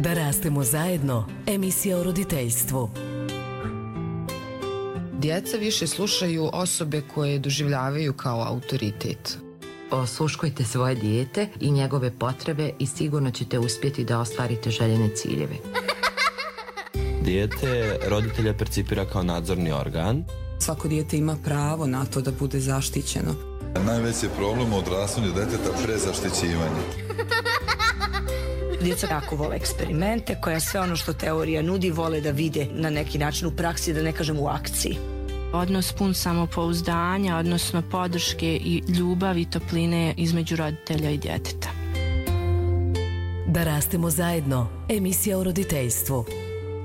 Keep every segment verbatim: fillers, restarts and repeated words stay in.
Da rastemo zajedno, emisija o roditeljstvu. Djeca više slušaju osobe koje doživljavaju kao autoritet. Osluškujte svoje dijete i njegove potrebe i sigurno ćete uspjeti da ostvarite željene ciljeve. Dijete roditelja percipira kao nadzorni organ. Svako dijete ima pravo na to da bude zaštićeno. Najveći je problem u odrastanju djeteta prezaštićivanje. Djeca jako vole eksperimente, koja sve ono što teorija nudi vole da vide na neki način u praksi, da ne kažem u akciji. Odnos pun samopouzdanja, odnosno podrške i ljubavi i topline između roditelja i djeteta. Da rastemo zajedno, emisija o roditeljstvu.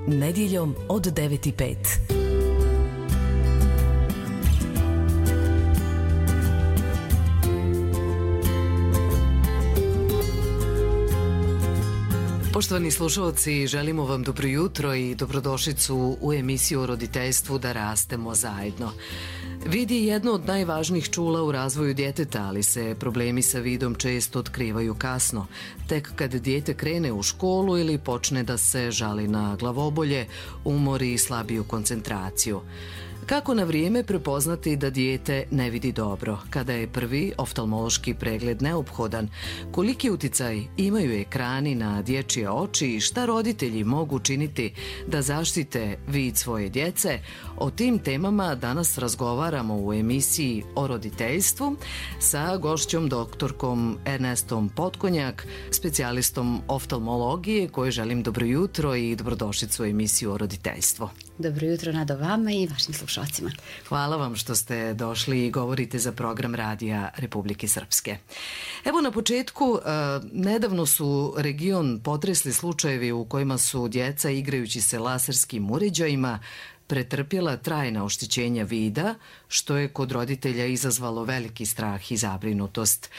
Nedjeljom od devet i pet. Poštovani slušalci, želimo vam dobro jutro i dobrodošlicu u emisiju o roditeljstvu Da rastemo zajedno. Vid je jedno od najvažnijih čula u razvoju djeteta, ali se problemi sa vidom često otkrivaju kasno, tek kad dijete krene u školu ili počne da se žali na glavobolje, umor i slabiju koncentraciju. Kako na vrijeme prepoznati da dijete ne vidi dobro, kada je prvi oftalmološki pregled neophodan, koliki uticaj imaju ekrani na dječje oči i šta roditelji mogu činiti da zaštite vid svoje djece, o tim temama danas razgovaramo u emisiji o roditeljstvu sa gošćom doktorkom Ernestom Potkonjak, specijalistom oftalmologije, kojoj želim dobro jutro i dobrodošlicu u emisiju o roditeljstvu. Dobro jutro Nado vama i vašim slušalcima. Hvala vam što ste došli i govorite za program Radija Republike Srpske. Evo na početku, nedavno su region potresli slučajevi u kojima su djeca igrajući se laserskim uređajima pretrpjela trajna oštećenja vida, što je kod roditelja izazvalo veliki strah i zabrinutost.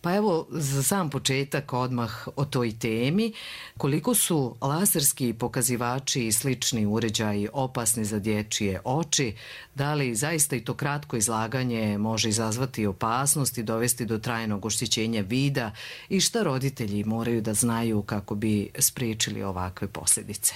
Pa evo, za sam početak odmah o toj temi, koliko su laserski pokazivači i slični uređaji opasni za dječje oči, da li zaista i to kratko izlaganje može izazvati opasnost i dovesti do trajnog oštećenja vida i šta roditelji moraju da znaju kako bi spriječili ovakve posljedice?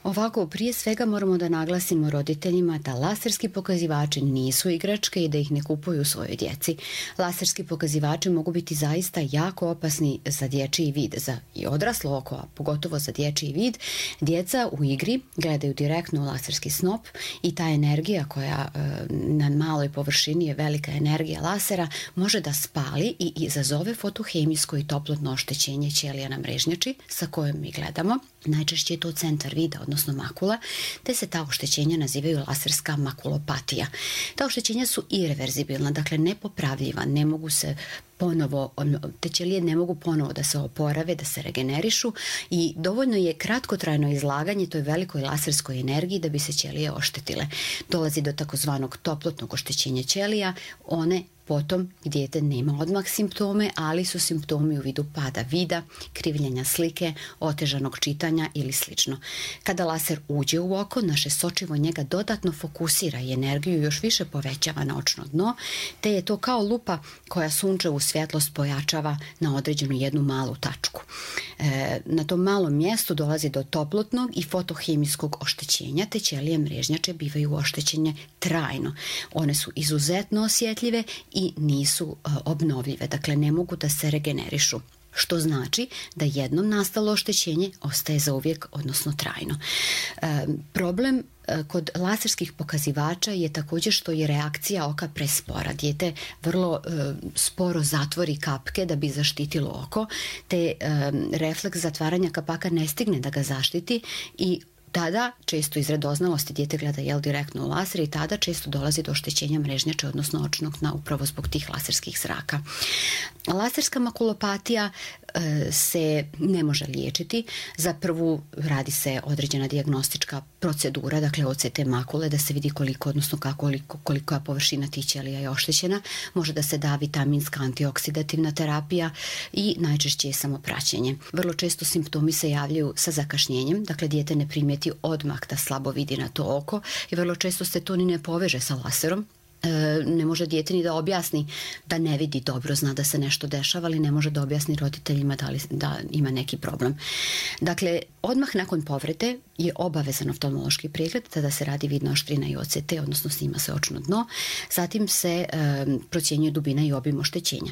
Ovako, prije svega moramo da naglasimo roditeljima da laserski pokazivači nisu igračke i da ih ne kupuju svojoj djeci. Laserski pokazivači mogu biti zaista jako opasni za dječji vid, za i odraslo oko, a pogotovo za dječji vid. Djeca u igri gledaju direktno u laserski snop i ta energija koja e, na maloj površini je velika energija lasera, može da spali i izazove fotohemijsko i toplotno oštećenje ćelija na mrežnjači sa kojom mi gledamo. Najčešće je to centar vida, odnosno makula, te se ta oštećenja nazivaju laserska makulopatija. Ta oštećenja su ireverzibilna, dakle nepopravljiva, ne mogu se ponovo, te ćelije ne mogu ponovo da se oporave, da se regenerišu i dovoljno je kratkotrajno izlaganje toj velikoj laserskoj energiji da bi se ćelije oštetile. Dolazi do takozvanog toplotnog oštećenja ćelija, one potom dijete nema odmah simptome, ali su simptomi u vidu pada vida, krivljenja slike, otežanog čitanja ili slično. Kada laser uđe u oko, naše sočivo njega dodatno fokusira i energiju još više povećava na očno dno, te je to kao lupa koja sunčevu svjetlost pojačava na određenu jednu malu tačku. E, na tom malom mjestu dolazi do toplotnog i fotohemijskog oštećenja, te ćelije mrežnjače bivaju oštećenje trajno. One su izuzetno osjetljive i nisu uh, obnovljive, dakle ne mogu da se regenerišu. Što znači da jednom nastalo oštećenje ostaje zauvijek, odnosno trajno. E, problem e, kod laserskih pokazivača je također što je reakcija oka prespora. Dijete vrlo e, sporo zatvori kapke da bi zaštitilo oko, te e, refleks zatvaranja kapaka ne stigne da ga zaštiti i tada često iz radoznalosti dijete gleda jel direktno u laser i tada često dolazi do oštećenja mrežnjače, odnosno očnog dna, upravo zbog tih laserskih zraka. Laserska makulopatija e, se ne može liječiti. Za prvu radi se određena dijagnostička procedura, dakle O C T makule, da se vidi koliko, odnosno kako, koliko, kolika površina tih ćelija je oštećena. Može da se da vitaminska antioksidativna terapija i najčešće je samo praćenje. Vrlo često simptomi se javljaju sa zakašnjenjem, dakle dijete ne primijeti odmah da slabo vidi na to oko i vrlo često se to ni ne poveže sa laserom. ne može dijete ni da objasni da ne vidi dobro, zna da se nešto dešava, ali ne može da objasni roditeljima da, li, da ima neki problem. Dakle, odmah nakon povrede je obavezan oftalmološki pregled, tada se radi vidna oštrina i O C T, odnosno snima se očno dno, zatim se e, procjenjuje dubina i obim oštećenja.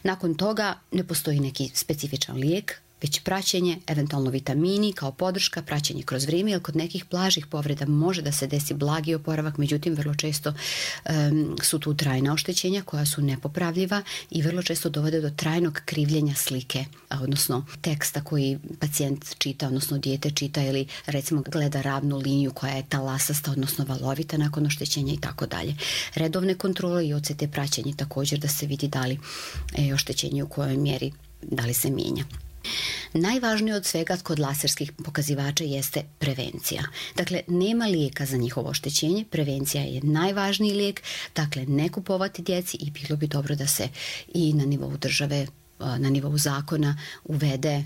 Nakon toga ne postoji neki specifičan lijek, već praćenje, eventualno vitamini kao podrška, praćenje kroz vrijeme, jer kod nekih blažih povreda može da se desi blagi oporavak, međutim vrlo često um, su tu trajna oštećenja koja su nepopravljiva i vrlo često dovode do trajnog krivljenja slike, odnosno teksta koji pacijent čita, odnosno dijete čita ili recimo gleda ravnu liniju koja je talasasta, odnosno valovita nakon oštećenja i tako dalje. Redovne kontrole i O C T praćenje također da se vidi da li je oštećenje u kojoj mjeri, da li se mijenja. Najvažnije od svega kod laserskih pokazivača jeste prevencija. Dakle, nema lijeka za njihovo oštećenje, prevencija je najvažniji lijek, dakle ne kupovati djeci i bilo bi dobro da se i na nivou države, na nivou zakona uvede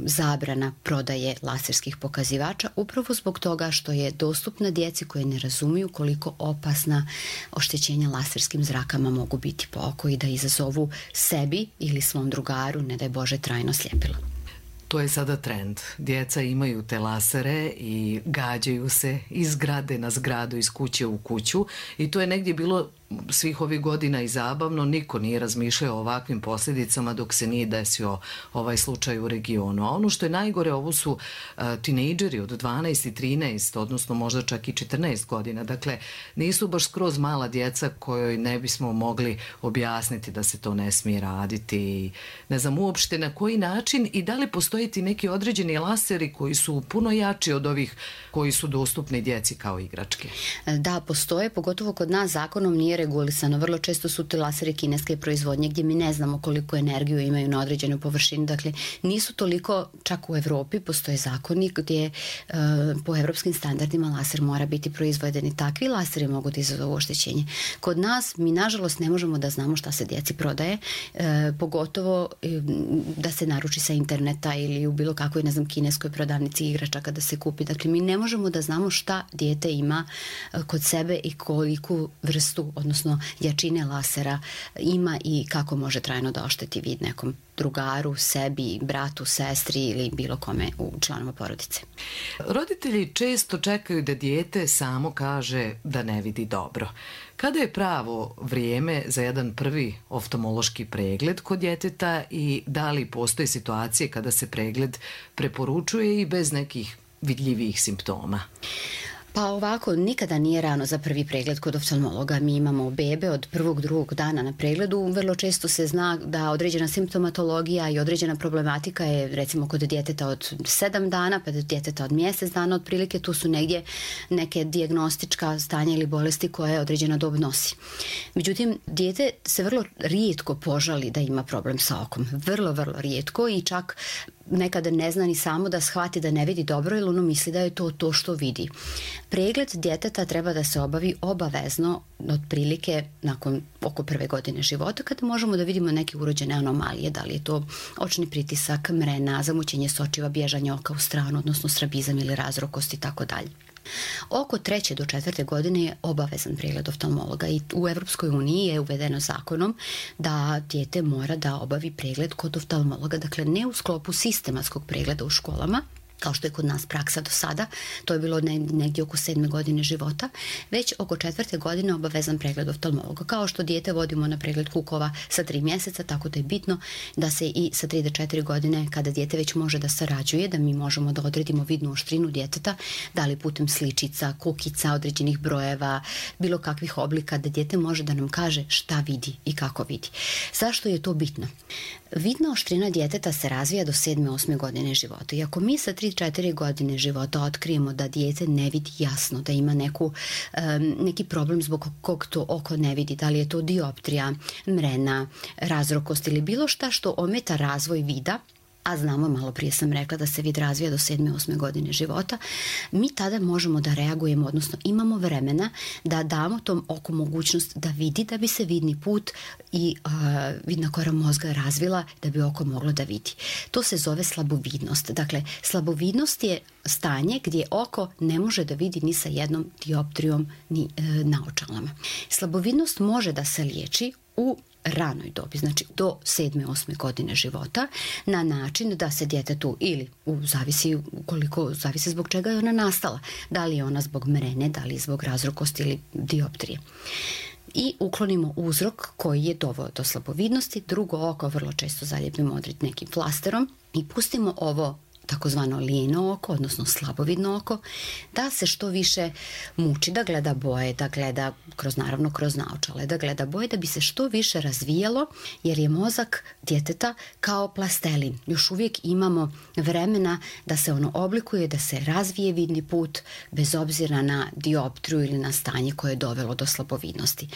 zabrana prodaje laserskih pokazivača upravo zbog toga što je dostupna djeci koje ne razumiju koliko opasna oštećenja laserskim zrakama mogu biti po oko i da izazovu sebi ili svom drugaru, ne daj Bože, trajno sljepilo. To je sada trend. Djeca imaju te lasere i gađaju se iz zgrade na zgradu, iz kuće u kuću i to je negdje bilo svih ovih godina i zabavno. Niko nije razmišljao o ovakvim posljedicama dok se nije desio ovaj slučaj u regionu. A ono što je najgore, ovo su uh, tinejdžeri od dvanaest i trinaest, odnosno možda čak i četrnaest godina. Dakle, nisu baš skroz mala djeca kojoj ne bismo mogli objasniti da se to ne smije raditi. Ne znam uopšte na koji način i da li postoji ti neki određeni laseri koji su puno jači od ovih koji su dostupni djeci kao igračke. Da, postoje, pogotovo kod nas zakonom nije regulisano. Vrlo često su ti laseri kineske proizvodnje gdje mi ne znamo koliko energiju imaju na određenoj površini. Dakle, nisu toliko, čak u Evropi postoje zakoni gdje uh, po evropskim standardima laser mora biti proizveden i takvi laseri mogu da izazovu oštećenje. Kod nas mi nažalost ne možemo da znamo šta se djeci prodaje, uh, pogotovo uh, da se naruči sa interneta ili u bilo kakvoj, ne znam, kineskoj prodavnici igračaka da se kupi. Dakle, mi ne možemo da znamo šta dijete ima uh, kod sebe i koliku vrstu, odnosno jačine lasera ima i kako može trajno da ošteti vid nekom drugaru, sebi, bratu, sestri ili bilo kome u članova porodice. Roditelji često čekaju da dijete samo kaže da ne vidi dobro. Kada je pravo vrijeme za jedan prvi oftalmološki pregled kod djeteta i da li postoje situacije kada se pregled preporučuje i bez nekih vidljivih simptoma? Pa ovako, nikada nije rano za prvi pregled kod oftalmologa. Mi imamo bebe od prvog, drugog dana na pregledu. Vrlo često se zna da određena simptomatologija i određena problematika je recimo kod djeteta od sedam dana pa do djeteta od mjesec dana otprilike. Tu su negdje neke dijagnostička stanja ili bolesti koje određena dob nosi. Međutim, dijete se vrlo rijetko požali da ima problem sa okom. Vrlo, vrlo rijetko i čak nekada ne zna ni samo da shvati da ne vidi dobro ili ono misli da je to to što vidi. Pregled djeteta treba da se obavi obavezno otprilike nakon oko prve godine života kada možemo da vidimo neke urođene anomalije, da li je to očni pritisak, mrena, zamućenje sočiva, bježanje oka u stranu, odnosno strabizam ili razrokost i tako dalje. Oko treće do četvrte godine je obavezan pregled oftalmologa i u Evropskoj uniji je uvedeno zakonom da dijete mora da obavi pregled kod oftalmologa, dakle ne u sklopu sistematskog pregleda u školama, kao što je kod nas praksa do sada, to je bilo negdje oko sedme godine života, već oko četvrte godine obavezan pregled oftalmologa. Kao što dijete vodimo na pregled kukova sa tri mjeseca, tako da je bitno da se i sa tri do četiri godine, kada dijete već može da sarađuje, da mi možemo da odredimo vidnu oštrinu djeteta, da li putem sličica, kukica, određenih brojeva, bilo kakvih oblika, da dijete može da nam kaže šta vidi i kako vidi. Zašto je to bitno? Vidna oštrina djeteta se razvija do sedme osme godine života i ako mi sa tri do četiri godine života otkrijemo da dijete ne vidi jasno, da ima neku, um, neki problem zbog kog to oko ne vidi, da li je to dioptrija, mrena, razrokost ili bilo šta što ometa razvoj vida, a znamo, malo prije sam rekla da se vid razvija do sedme, osme godine života, mi tada možemo da reagujemo, odnosno imamo vremena da damo tom oku mogućnost da vidi, da bi se vidni put i uh, vidna kora mozga razvila, da bi oko moglo da vidi. To se zove slabovidnost. Dakle, slabovidnost je stanje gdje oko ne može da vidi ni sa jednom dioptrijom ni e, naočalama. Slabovidnost može da se liječi u ranoj dobi, znači do sedme, osme godine života, na način da se djetetu ili u zavisi koliko, zavisi zbog čega je ona nastala, da li je ona zbog mrene, da li je zbog razrokosti ili dioptrije. I uklonimo uzrok koji je doveo do slabovidnosti, drugo oko vrlo često zalijepimo odred nekim flasterom i pustimo ovo takozvano lijeno oko, odnosno slabovidno oko, da se što više muči, da gleda boje, da gleda kroz, naravno kroz naočale, da gleda boje, da bi se što više razvijalo, jer je mozak djeteta kao plastelin. Još uvijek imamo vremena da se ono oblikuje, da se razvije vidni put, bez obzira na dioptriju ili na stanje koje je dovelo do slabovidnosti.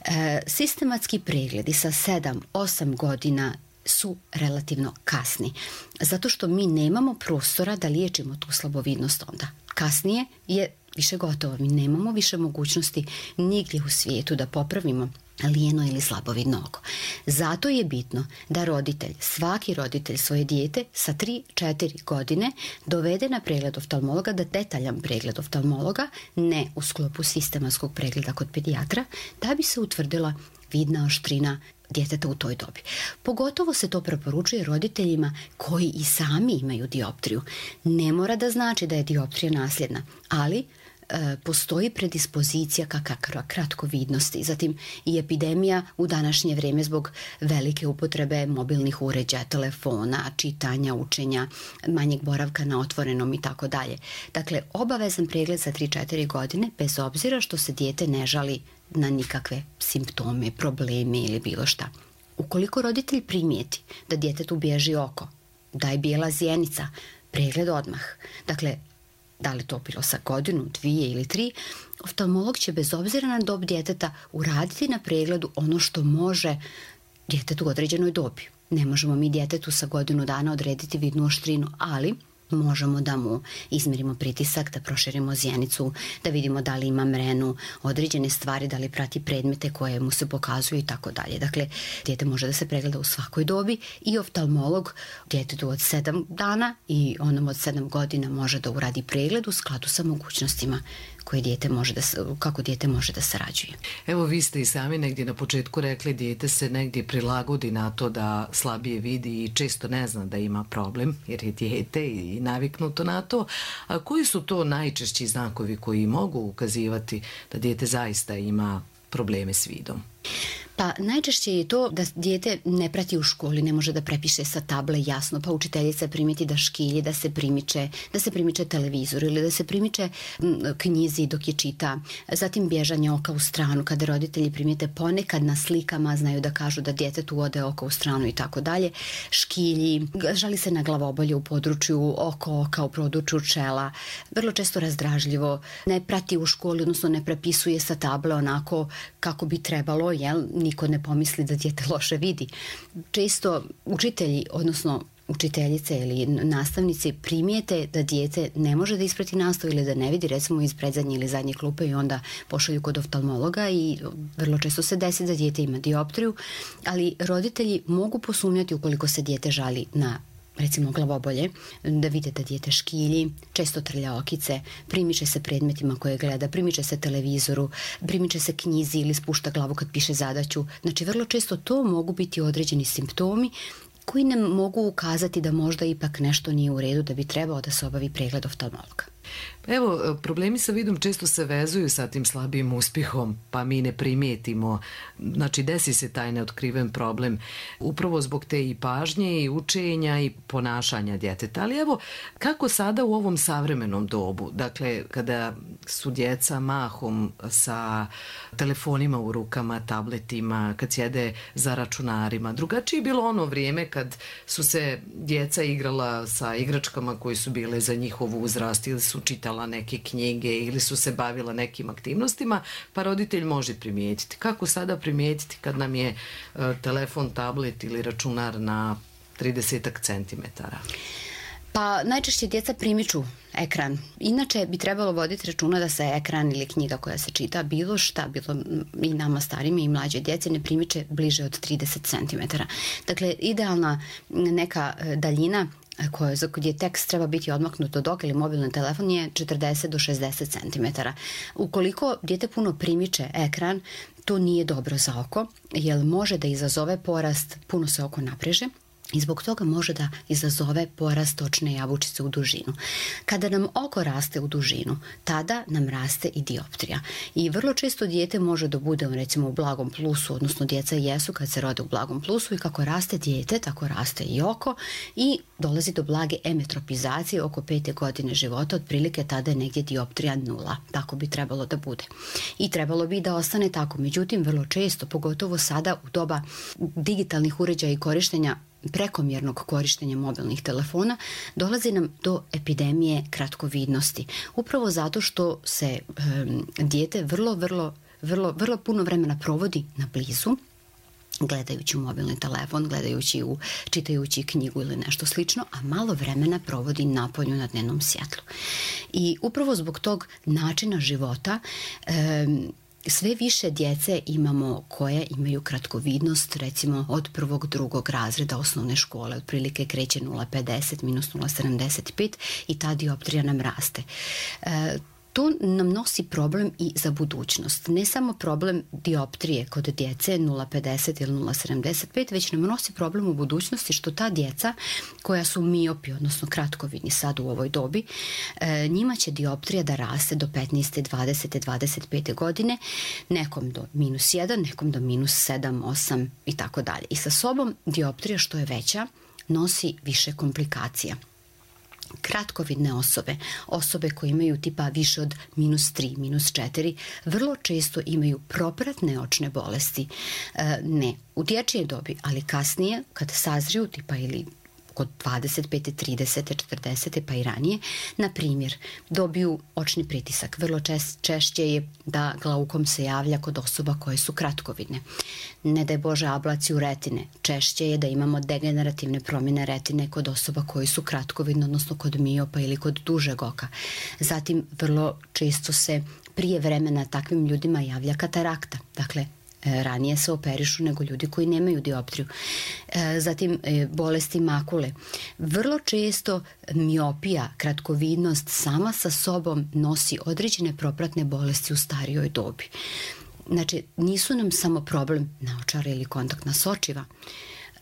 E, sistematski pregledi sa sedam, osam godina su relativno kasni, zato što mi nemamo prostora da liječimo tu slabovidnost onda. Kasnije je više gotovo, mi nemamo više mogućnosti nigdje u svijetu da popravimo lijeno ili slabovidno oko. Zato je bitno da roditelj, svaki roditelj svoje dijete sa tri četiri godine dovede na pregled oftalmologa, da detaljan pregled oftalmologa, ne u sklopu sistematskog pregleda kod pedijatra, da bi se utvrdila vidna oštrina djeteta u toj dobi. Pogotovo se to preporučuje roditeljima koji i sami imaju dioptriju. Ne mora da znači da je dioptrija nasljedna, ali e, postoji predispozicija ka kratkovidnosti. Zatim i epidemija u današnje vrijeme zbog velike upotrebe mobilnih uređaja, telefona, čitanja, učenja, manjeg boravka na otvorenom i tako dalje. Dakle, obavezan pregled za tri četiri godine, bez obzira što se dijete ne žali na nikakve simptome, probleme ili bilo šta. Ukoliko roditelj primijeti da djetetu bježi oko, da je bijela zjenica, pregled odmah. Dakle, da li to bilo sa godinu, dvije ili tri, oftalmolog će bez obzira na dob djeteta uraditi na pregledu ono što može djetetu u određenoj dobi. Ne možemo mi djetetu sa godinu dana odrediti vidnu oštrinu, ali možemo da mu izmjerimo pritisak, da proširimo zjenicu, da vidimo da li ima mrenu, određene stvari, da li prati predmete koje mu se pokazuju i tako dalje. Dakle, dijete može da se pregleda u svakoj dobi i oftalmolog djetetu od sedam dana i onom od sedam godina može da uradi pregled u skladu sa mogućnostima koje dijete može da, kako dijete može da sarađuje. Evo, vi ste i sami negdje na početku rekli, dijete se negdje prilagodi na to da slabije vidi i često ne zna da ima problem, jer je dijete i naviknuto na to. A koji su to najčešći znakovi koji mogu ukazivati da dijete zaista ima probleme s vidom? Pa najčešće je to da dijete ne prati u školi, ne može da prepiše sa table jasno, pa učiteljica primijeti da škilji, da se primiče, da se primiče televizor ili da se primiče knjizi dok je čita. Zatim bježanje oka u stranu, kada roditelji primijete ponekad na slikama, znaju da kažu da djetetu ode oko u stranu i tako dalje. Škilji, žali se na glavobolje u području oko oka, u području čela, vrlo često razdražljivo, ne prati u školi, odnosno ne prepisuje sa table onako kako bi trebalo, jel, niko ne pomisli da dijete loše vidi. Često učitelji, odnosno učiteljice ili nastavnici primijete da dijete ne može da isprati nastavu ili da ne vidi, recimo iz predzadnje ili zadnje klupe, i onda pošalju kod oftalmologa i vrlo često se desi da dijete ima dioptriju, ali roditelji mogu posumnjati ukoliko se dijete žali na recimo glavobolje, da vide da dijete škilji, često trlja okice, primiče se predmetima koje gleda, primiče se televizoru, primiče se knjizi ili spušta glavu kad piše zadaću. Znači, vrlo često to mogu biti određeni simptomi koji nam mogu ukazati da možda ipak nešto nije u redu, da bi trebao da se obavi pregled oftalmologa. Evo, problemi sa vidom često se vezuju sa tim slabijim uspjehom, pa mi ne primijetimo. Znači, desi se taj neotkriven problem upravo zbog te i pažnje i učenja i ponašanja djeteta. Ali evo, kako sada u ovom savremenom dobu, dakle, kada su djeca mahom sa telefonima u rukama, tabletima, kad sjede za računarima, drugačije je bilo ono vrijeme kad su se djeca igrala sa igračkama koje su bile za njihov uzrast, ili su čitala neke knjige ili su se bavila nekim aktivnostima, pa roditelj može primijetiti. Kako sada primijetiti kad nam je uh, telefon, tablet ili računar na tridesetak centimetara? Pa najčešće djeca primiču ekran. Inače bi trebalo voditi računa da se ekran ili knjiga koja se čita, bilo šta, bilo i nama starimi i mlađe djece, ne primiče bliže od trideset centimetara. Dakle, idealna neka daljina koje, za gdje tekst treba biti odmaknut od oka ili mobilni telefon je četrdeset do šezdeset centimetara. Ukoliko dijete puno primiče ekran, to nije dobro za oko, jer može da izazove porast, puno se oko napreže, i zbog toga može da izazove porast očne jabučice u dužinu. Kada nam oko raste u dužinu, tada nam raste i dioptrija. I vrlo često dijete može da bude recimo u blagom plusu, odnosno djeca jesu kad se rode u blagom plusu, i kako raste dijete, tako raste i oko i dolazi do blage emetropizacije oko pete godine života, otprilike tada je negdje dioptrija nula. Tako bi trebalo da bude. I trebalo bi da ostane tako. Međutim, vrlo često, pogotovo sada u doba digitalnih uređaja i korištenja prekomjernog korištenja mobilnih telefona, dolazi nam do epidemije kratkovidnosti. Upravo zato što se um, dijete vrlo, vrlo, vrlo, vrlo puno vremena provodi na blizu, gledajući u mobilni telefon, gledajući u, čitajući knjigu ili nešto slično, a malo vremena provodi napolju na dnevnom svjetlu. I upravo zbog tog načina života um, sve više djece imamo koje imaju kratkovidnost, recimo od prvog, drugog razreda osnovne škole, otprilike kreće nula zarez pedeset minus nula zarez sedamdeset pet i ta dioptrija nam raste. E, To nam nosi problem i za budućnost. Ne samo problem dioptrije kod djece nula zarez pedeset ili nula zarez sedamdeset pet, već nam nosi problem u budućnosti što ta djeca koja su miopi, odnosno kratkovidni sad u ovoj dobi, njima će dioptrija da raste do petnaeste, dvadesete, dvadeset pete godine, nekom do minus jedan, nekom do minus sedam, osam i tako dalje. I sa sobom dioptrija što je veća nosi više komplikacija. Kratkovidne osobe, osobe koje imaju tipa više od minus tri, minus četiri, vrlo često imaju propratne očne bolesti. E, ne u dječjoj dobi, ali kasnije kad sazriju tipa ili kod dvadeset pete, tridesete, četrdesete pa i ranije, na primjer, dobiju očni pritisak. Vrlo čest, češće je da glaukom se javlja kod osoba koje su kratkovidne. Ne daj Bože ablaciju retine. Češće je da imamo degenerativne promjene retine kod osoba koji su kratkovidne, odnosno kod miopa ili kod dužeg oka. Zatim, vrlo često se prije vremena takvim ljudima javlja katarakta. Dakle, ranije se operišu nego ljudi koji nemaju dioptriju. Zatim bolesti makule. Vrlo često miopija, kratkovidnost sama sa sobom nosi određene propratne bolesti u starijoj dobi. Znači, nisu nam samo problem naočara ili kontaktna sočiva,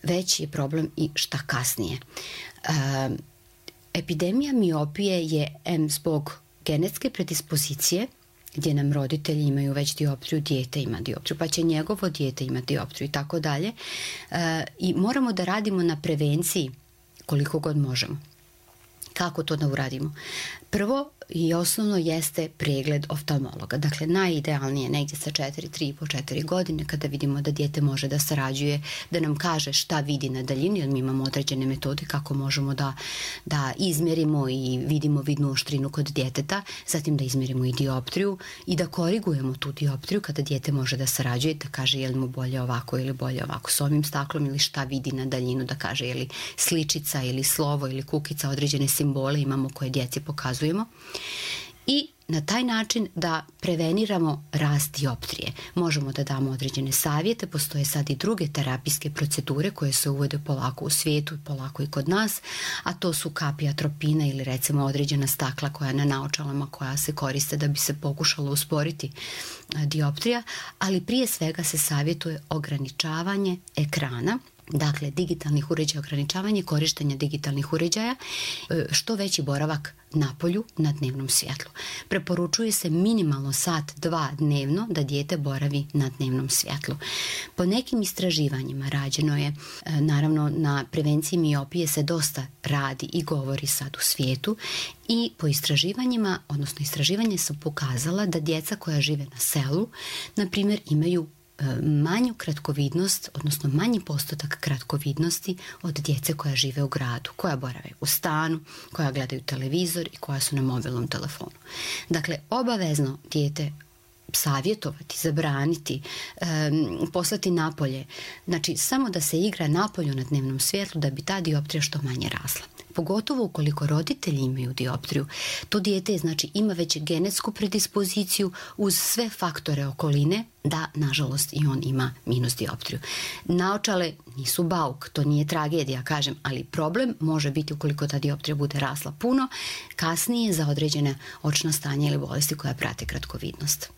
već je problem i šta kasnije. Epidemija miopije je em zbog genetske predispozicije, gdje nam roditelji imaju već dioptriju, dijete ima dioptriju, pa će njegovo dijete imati dioptriju i tako dalje. I moramo da radimo na prevenciji koliko god možemo. Kako to da uradimo? Prvo i osnovno jeste pregled oftalmologa. Dakle, najidealnije negdje sa četiri, tri i po četiri godine kada vidimo da dijete može da sarađuje, da nam kaže šta vidi na daljini, jer mi imamo određene metode kako možemo da, da izmjerimo i vidimo vidnu oštrinu kod djeteta, zatim da izmjerimo i dioptriju i da korigujemo tu dioptriju kada dijete može da sarađuje, da kaže je li mu bolje ovako ili bolje ovako s ovim staklom ili šta vidi na daljinu, da kaže je li sličica ili slovo ili kukica, određene simbole imamo koje djeci pokazujemo. I na taj način da preveniramo rast dioptrije. Možemo da damo određene savjete, postoje sad i druge terapijske procedure koje se uvode polako u svijetu, polako i kod nas, a to su kapi atropina ili recimo određena stakla koja je na naočalama koja se koriste da bi se pokušalo usporiti dioptrija, ali prije svega se savjetuje ograničavanje ekrana, dakle digitalnih uređaja, ograničavanje korištenja digitalnih uređaja, što veći boravak napolju na dnevnom svjetlu. Preporučuje se minimalno sat, dva dnevno da dijete boravi na dnevnom svjetlu. Po nekim istraživanjima rađeno je, naravno na prevenciji miopije se dosta radi i govori sad u svijetu i po istraživanjima, odnosno istraživanje su pokazala da djeca koja žive na selu, na primjer, imaju manju kratkovidnost, odnosno manji postotak kratkovidnosti od djece koja žive u gradu, koja borave u stanu, koja gledaju televizor i koja su na mobilnom telefonu. Dakle, obavezno dijete savjetovati, zabraniti, um, poslati napolje. Znači, samo da se igra napolju na dnevnom svjetlu da bi ta dioptrija što manje rasla. Pogotovo ukoliko roditelji imaju dioptriju, to dijete znači ima već genetsku predispoziciju uz sve faktore okoline da, nažalost, i on ima minus dioptriju. Naočale nisu bauk, to nije tragedija, kažem, ali problem može biti ukoliko ta dioptrija bude rasla puno, kasnije za određene očna stanja ili bolesti koja prate kratkovidnost.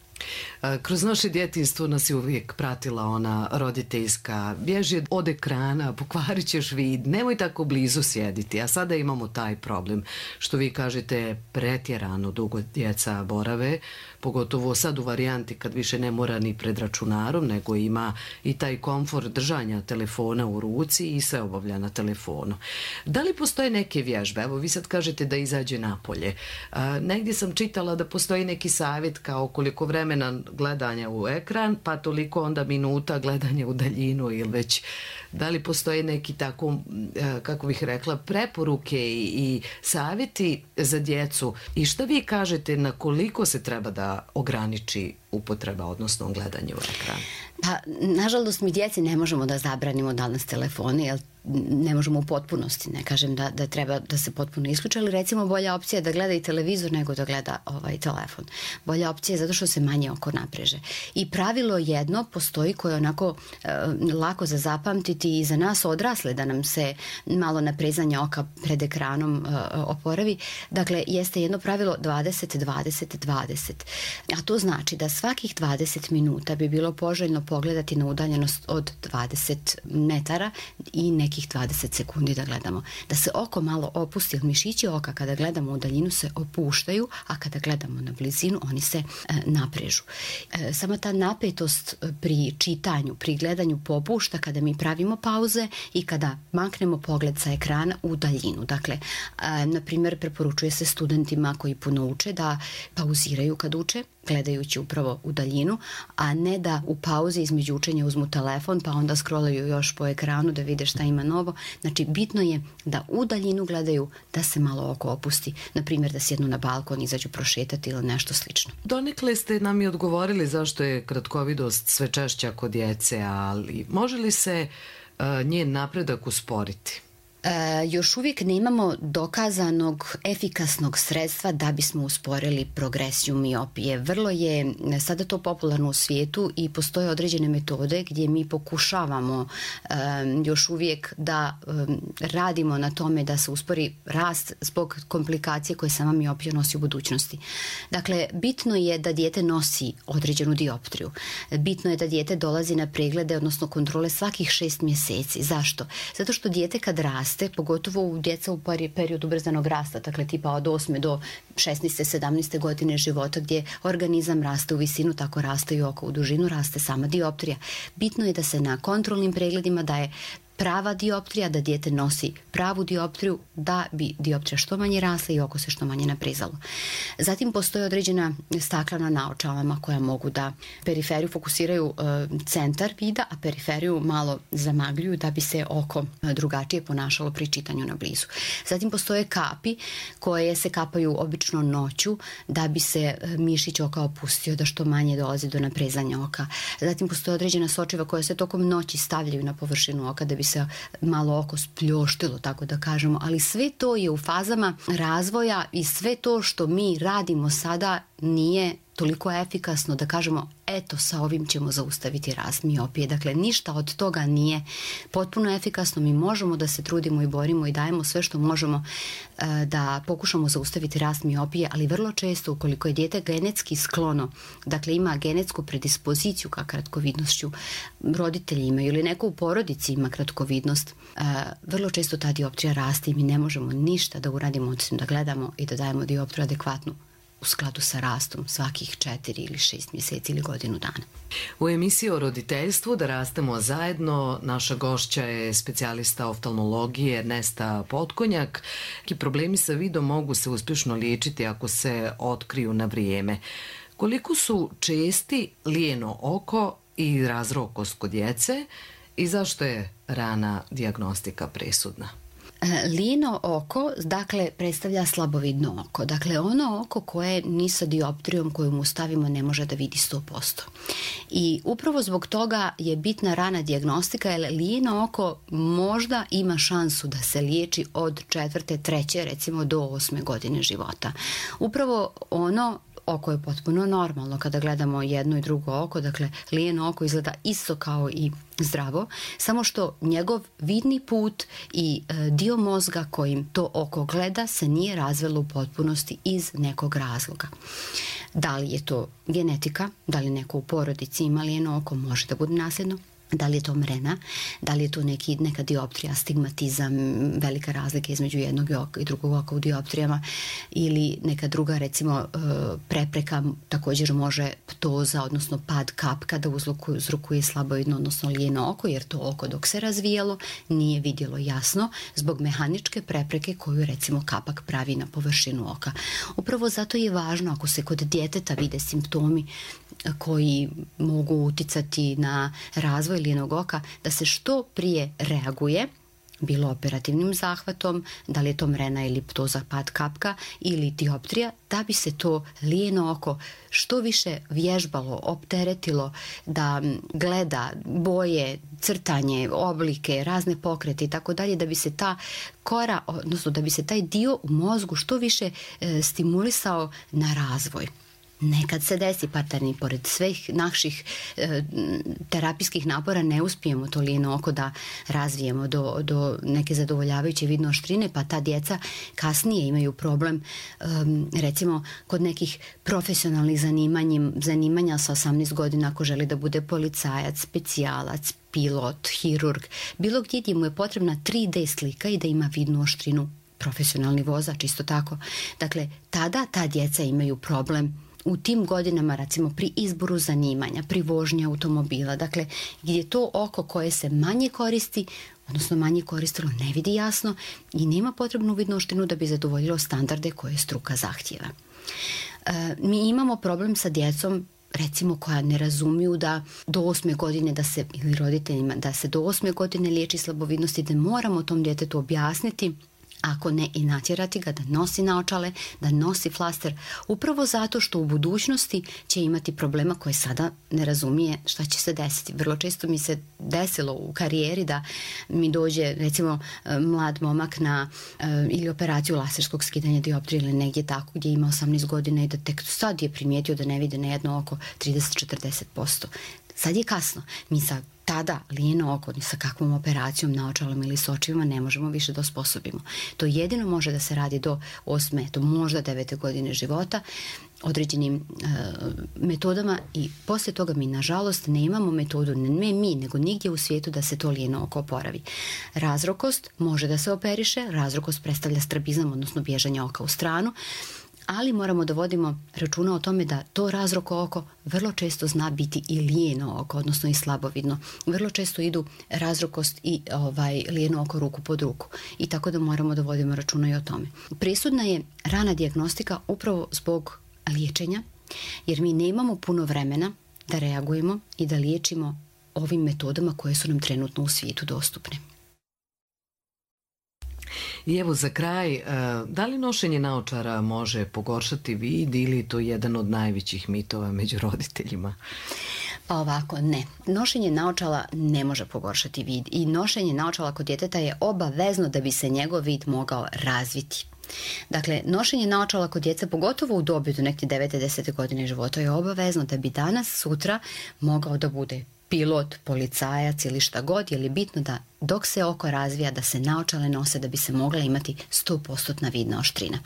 Kroz naše djetinjstvo nas je uvijek pratila ona roditeljska: bježi od ekrana, pokvarit ćeš vid, nemoj tako blizu sjediti. A sada imamo taj problem, što vi kažete, pretjerano dugo djeca borave, pogotovo sad u varijanti kad više ne mora ni pred računarom, nego ima i taj komfort držanja telefona u ruci i sve obavlja na telefonu. Da li postoje neke vježbe? Evo, vi sad kažete da izađe napolje. A, negdje sam čitala da postoji neki savjet kao koliko vremena gledanja u ekran, pa toliko onda minuta gledanja u daljinu, ili već da li postoje neki tako, kako bih rekla, preporuke i, i savjeti za djecu, i šta vi kažete na koliko se treba da ograniči upotreba, odnosno gledanje u ekran? Pa, nažalost, mi djeci ne možemo da zabranimo danas telefone, jer ne možemo u potpunosti, ne kažem da, da treba da se potpuno isključe, ali recimo bolja opcija je da gleda i televizor nego da gleda ovaj telefon. Bolja opcija je zato što se manje oko napreže. I pravilo jedno postoji koje je onako e, lako za zapamtiti i za nas odrasle, da nam se malo naprezanje oka pred ekranom e, oporavi. Dakle, jeste jedno pravilo dvadeset dvadeset dvadeset. A to znači da svakih dvadeset minuta bi bilo poželjno pogledati na udaljenost od dvadeset metara i neki dvadeset sekundi da gledamo. Da se oko malo opusti, jer mišići oka kada gledamo u daljinu se opuštaju, a kada gledamo na blizinu oni se e, naprežu. E, sama ta napetost pri čitanju, pri gledanju popušta kada mi pravimo pauze i kada maknemo pogled sa ekrana u daljinu. Dakle, e, na primjer, preporučuje se studentima koji puno uče da pauziraju kad uče, gledajući upravo u daljinu, a ne da u pauzi između učenja uzmu telefon pa onda scrollaju još po ekranu da vide šta ima novo. Znači, bitno je da u daljinu gledaju, da se malo oko opusti. Na primjer, da sjednu na balkon, izađu prošetati ili nešto slično. Donekle ste nam i odgovorili zašto je kratkovidost sve češća kod djece, ali može li se uh, njen napredak usporiti? E, još uvijek nemamo dokazanog efikasnog sredstva da bismo usporili progresiju miopije. Vrlo je sada to popularno u svijetu i postoje određene metode gdje mi pokušavamo e, još uvijek da e, radimo na tome da se uspori rast zbog komplikacije koje sama miopija nosi u budućnosti. Dakle, bitno je da dijete nosi određenu dioptriju. Bitno je da dijete dolazi na preglede, odnosno kontrole svakih šest mjeseci. Zašto? Zato što dijete kad raste, pogotovo u djeca u periodu ubrzanog rasta, dakle tipa od osme do šesnaeste sedamnaeste godine života, gdje organizam raste u visinu, tako raste i oko u dužinu, raste sama dioptrija. Bitno je da se na kontrolnim pregledima daje prava dioptrija, da dijete nosi pravu dioptriju, da bi dioptrija što manje rasla i oko se što manje naprezalo. Zatim postoje određena staklena naočalama koja mogu da periferiju fokusiraju e, centar vida, a periferiju malo zamagljuju da bi se oko drugačije ponašalo pri čitanju na blizu. Zatim postoje kapi koje se kapaju obično noću da bi se mišić oka opustio, da što manje dolazi do naprezanja oka. Zatim postoje određena sočiva koja se tokom noći stavljaju na površinu oka da bi se malo oko spljoštilo, tako da kažemo, ali sve to je u fazama razvoja i sve to što mi radimo sada nije toliko efikasno da kažemo eto sa ovim ćemo zaustaviti rast miopije. Dakle, ništa od toga nije potpuno efikasno. Mi možemo da se trudimo i borimo i dajemo sve što možemo e, da pokušamo zaustaviti rast miopije, ali vrlo često ukoliko je dijete genetski sklono, dakle ima genetsku predispoziciju ka kratkovidnošću, roditelji imaju ili neko u porodici ima kratkovidnost, e, vrlo često ta dioptrija raste i mi ne možemo ništa da uradimo osim da gledamo i da dajemo dioptriju adekvatnu u skladu sa rastom svakih četiri ili šest mjeseci ili godinu dana. U emisiji o roditeljstvu Da rastemo zajedno naša gošća je specijalista oftalmologije Ernesta Potkonjak. Neki problemi sa vidom mogu se uspješno liječiti ako se otkriju na vrijeme. Koliko su česti lijeno oko i razrokost kod djece i zašto je rana dijagnostika presudna? Lijeno oko, dakle, predstavlja slabovidno oko. Dakle, ono oko koje ni sa dioptrijom koju mu stavimo ne može da vidi sto posto. I upravo zbog toga je bitna rana dijagnostika, jer lijeno oko možda ima šansu da se liječi od četvrte, treće, recimo do osme godine života. Upravo ono oko je potpuno normalno kada gledamo jedno i drugo oko, dakle lijeno oko izgleda isto kao i zdravo, samo što njegov vidni put i e, dio mozga kojim to oko gleda se nije razvilo u potpunosti iz nekog razloga. Da li je to genetika, da li neko u porodici ima lijeno oko, može da bude nasljedno. Da li je to mrena, da li je to neki, neka dioptrija, stigmatizam, velika razlika između jednog i drugog oka u dioptrijama ili neka druga, recimo, prepreka, također može ptoza, odnosno pad kapka da uzrokuje slabovidno, odnosno lijeno oko, jer to oko dok se razvijalo nije vidjelo jasno zbog mehaničke prepreke koju, recimo, kapak pravi na površinu oka. Upravo zato je važno, ako se kod djeteta vide simptomi koji mogu uticati na razvoj lijenog oka, da se što prije reaguje, bilo operativnim zahvatom, da li je to mrena ili ptoza, pad kapka ili dioptrija, da bi se to lijeno oko što više vježbalo, opteretilo, da gleda boje, crtanje, oblike, razne pokrete i tako dalje, da bi se ta kora, odnosno da bi se taj dio u mozgu što više e, stimulisao na razvoj. Nekad se desi, parterni, pored svih naših e, terapijskih napora ne uspijemo to lijeno oko da razvijemo do, do neke zadovoljavajuće vidne oštrine, pa ta djeca kasnije imaju problem, e, recimo kod nekih profesionalnih zanimanja sa osamnaest godina, ako želi da bude policajac, specijalac, pilot, hirurg, bilo gdje gdje mu je potrebna tri D slika i da ima vidnu oštrinu, profesionalni vozač isto tako. Dakle, tada ta djeca imaju problem u tim godinama, recimo pri izboru zanimanja, pri vožnji automobila, dakle gdje to oko koje se manje koristi, odnosno manje koristilo, ne vidi jasno i nema potrebnu vidnu oštrinu da bi zadovoljilo standarde koje struka zahtjeva. E, mi imamo problem sa djecom, recimo koja ne razumiju da do osme godine da se, ili roditeljima, da se do osme godine liječi slabovidnosti, da moramo tom djetetu objasniti, ako ne i natjerati ga da nosi naočale, da nosi flaster, upravo zato što u budućnosti će imati problema koje sada ne razumije šta će se desiti. Vrlo često mi se desilo u karijeri da mi dođe, recimo, mlad momak na ili operaciju laserskog skidanja dioptrije ili negdje tako gdje ima osamnaest godina i da tek sad je primijetio da ne vide na jedno oko trideset do četrdeset posto. Sad je kasno. Mi sa tada lijeno oko, ni sa kakvom operacijom, naočalom ili s očivima ne možemo više da osposobimo. To jedino može da se radi do osme, do možda devete godine života, određenim e, metodama i poslije toga mi nažalost nemamo metodu, ne mi, nego nigdje u svijetu da se to lijeno oko oporavi. Razrokost može da se operiše, razrokost predstavlja strabizam, odnosno bježanje oka u stranu, ali moramo da vodimo računa o tome da to razroko oko vrlo često zna biti i lijeno oko, odnosno i slabovidno. Vrlo često idu razrokost i ovaj, lijeno oko ruku pod ruku. I tako da moramo da vodimo računa i o tome. Presudna je rana dijagnostika upravo zbog liječenja, jer mi nemamo puno vremena da reagujemo i da liječimo ovim metodama koje su nam trenutno u svijetu dostupne. I evo za kraj, da li nošenje naočara može pogoršati vid ili je to jedan od najvećih mitova među roditeljima? Pa ovako, ne. Nošenje naočala ne može pogoršati vid i nošenje naočala kod djeteta je obavezno da bi se njegov vid mogao razviti. Dakle, nošenje naočala kod djece, pogotovo u dobi do neke devete desete godine života, je obavezno da bi danas, sutra mogao da bude pilot, policajac ili šta god, jer je bitno da dok se oko razvija da se naočale nose da bi se mogla imati sto posto vidna oštrina.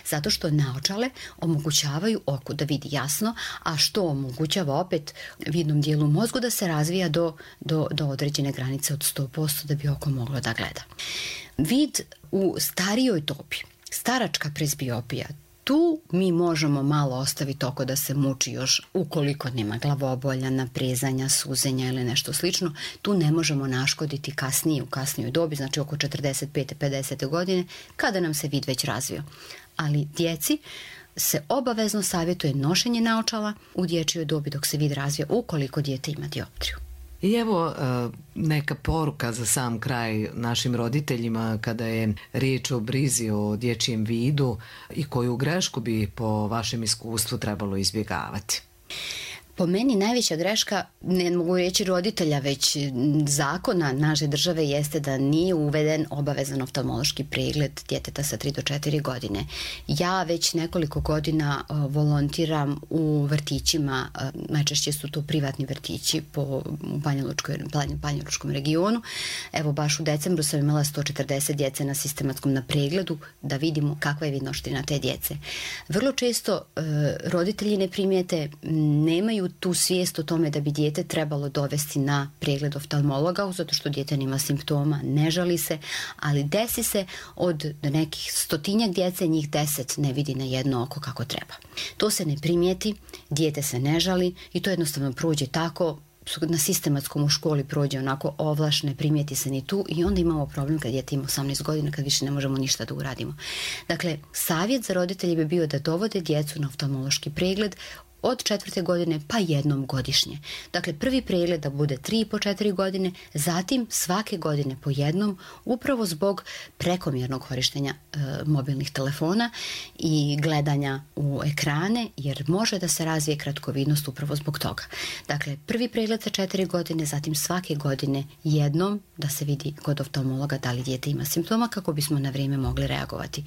Zato što naočale omogućavaju oku da vidi jasno, a što omogućava opet vidnom dijelu mozgu da se razvija do, do, do određene granice od sto posto da bi oko moglo da gleda. Vid u starijoj dobi, staračka presbiopija, tu mi možemo malo ostaviti oko da se muči još ukoliko nema glavobolja, naprezanja, suzenja ili nešto slično. Tu ne možemo naškoditi kasnije, u kasnijoj dobi, znači oko četrdeset pete pedesete godine, kada nam se vid već razvio. Ali djeci se obavezno savjetuje nošenje naočala u dječjoj dobi dok se vid razvija, ukoliko dijete ima dioptriju. I evo neka poruka za sam kraj našim roditeljima kada je riječ o brizi o dječjem vidu i koju grešku bi po vašem iskustvu trebalo izbjegavati. Po meni najveća greška, ne mogu reći roditelja, već zakona naše države jeste da nije uveden obavezan oftalmološki pregled djeteta sa tri do četiri godine. Ja već nekoliko godina volontiram u vrtićima, najčešće su to privatni vrtići po Banjalučkom regionu. Evo baš u decembru sam imala sto četrdeset djece na sistematskom na pregledu da vidimo kakva je vidnoština te djece. Vrlo često roditelji ne primijete, nemaju tu svijest o tome da bi dijete trebalo dovesti na pregled oftalmologa, zato što dijete nema simptoma, ne žali se, ali desi se od nekih stotinjak djece, njih deset ne vidi na jedno oko kako treba. To se ne primijeti, dijete se ne žali i to jednostavno prođe tako, na sistematskom u školi prođe onako ovlaš, ne primijeti se ni tu i onda imamo problem kad dijete ima osamnaest godina, kad više ne možemo ništa da uradimo. Dakle, savjet za roditelje bi bio da dovode djecu na oftalmološki pregled od četvrte godine pa jednom godišnje. Dakle, prvi pregled da bude tri po četiri godine, zatim svake godine po jednom, upravo zbog prekomjernog korištenja e, mobilnih telefona i gledanja u ekrane, jer može da se razvije kratkovidnost upravo zbog toga. Dakle, prvi pregled sa četiri godine, zatim svake godine jednom da se vidi kod oftalmologa da li dijete ima simptoma kako bismo na vrijeme mogli reagovati.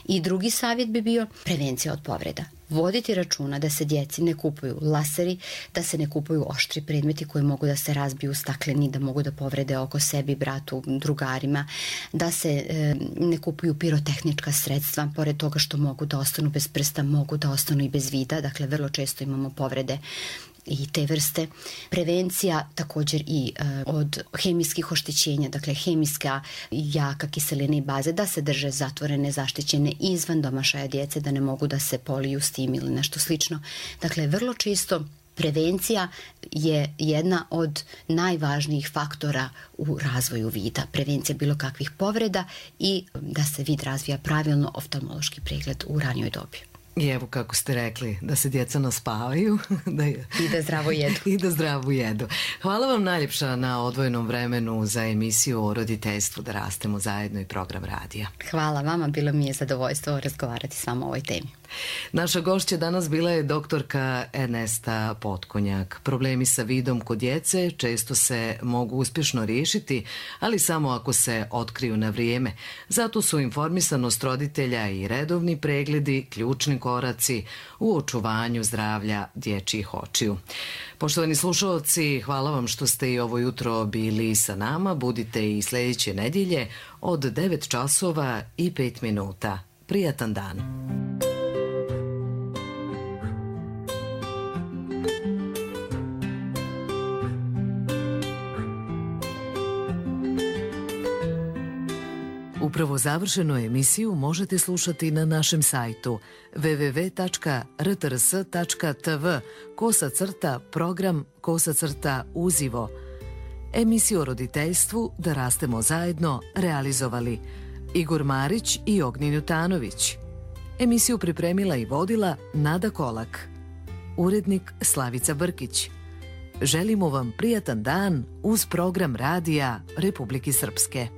I drugi savjet bi bio prevencija od povreda. Voditi računa da se djeci ne kupuju laseri, da se ne kupuju oštri predmeti koji mogu da se razbiju stakleni, da mogu da povrede oko sebi, bratu, drugarima, da se e, ne kupuju pirotehnička sredstva, pored toga što mogu da ostanu bez prsta, mogu da ostanu i bez vida, dakle vrlo često imamo povrede i te vrste. Prevencija također i e, od hemijskih oštećenja, dakle hemijska jaka kiselina i baze, da se drže zatvorene, zaštićene izvan domašaja djece, da ne mogu da se poliju s tim ili nešto slično. Dakle, vrlo često prevencija je jedna od najvažnijih faktora u razvoju vida. Prevencija bilo kakvih povreda i da se vid razvija pravilno, oftalmološki pregled u ranijoj dobi. I evo kako ste rekli, da se djeca naspavaju da je... i da zdravo jedu. I da zdravo jedu. Hvala vam najljepša na odvojenom vremenu za emisiju o roditeljstvu Da rastemo zajedno i program radija. Hvala vama, bilo mi je zadovoljstvo razgovarati s vama o ovoj temi. Naša gošća danas bila je doktorka Ernesta Potkonjak. Problemi sa vidom kod djece često se mogu uspješno riješiti, ali samo ako se otkriju na vrijeme. Zato su informisanost roditelja i redovni pregledi ključni koraci u očuvanju zdravlja dječjih očiju. Poštovani slušalci, hvala vam što ste i ovo jutro bili sa nama. Budite i sljedeće nedjelje od devet časova i pet minuta. Prijatan dan. Upravo završenu emisiju možete slušati na našem sajtu w w w tačka r t r s tačka t v kosa crta program kosa crta uzivo. Emisiju o roditeljstvu Da rastemo zajedno realizovali Igor Marić i Ognjen Jutanović. Emisiju pripremila i vodila Nada Kolak. Urednik Slavica Brkić. Želimo vam prijatan dan uz program radija Republike Srpske.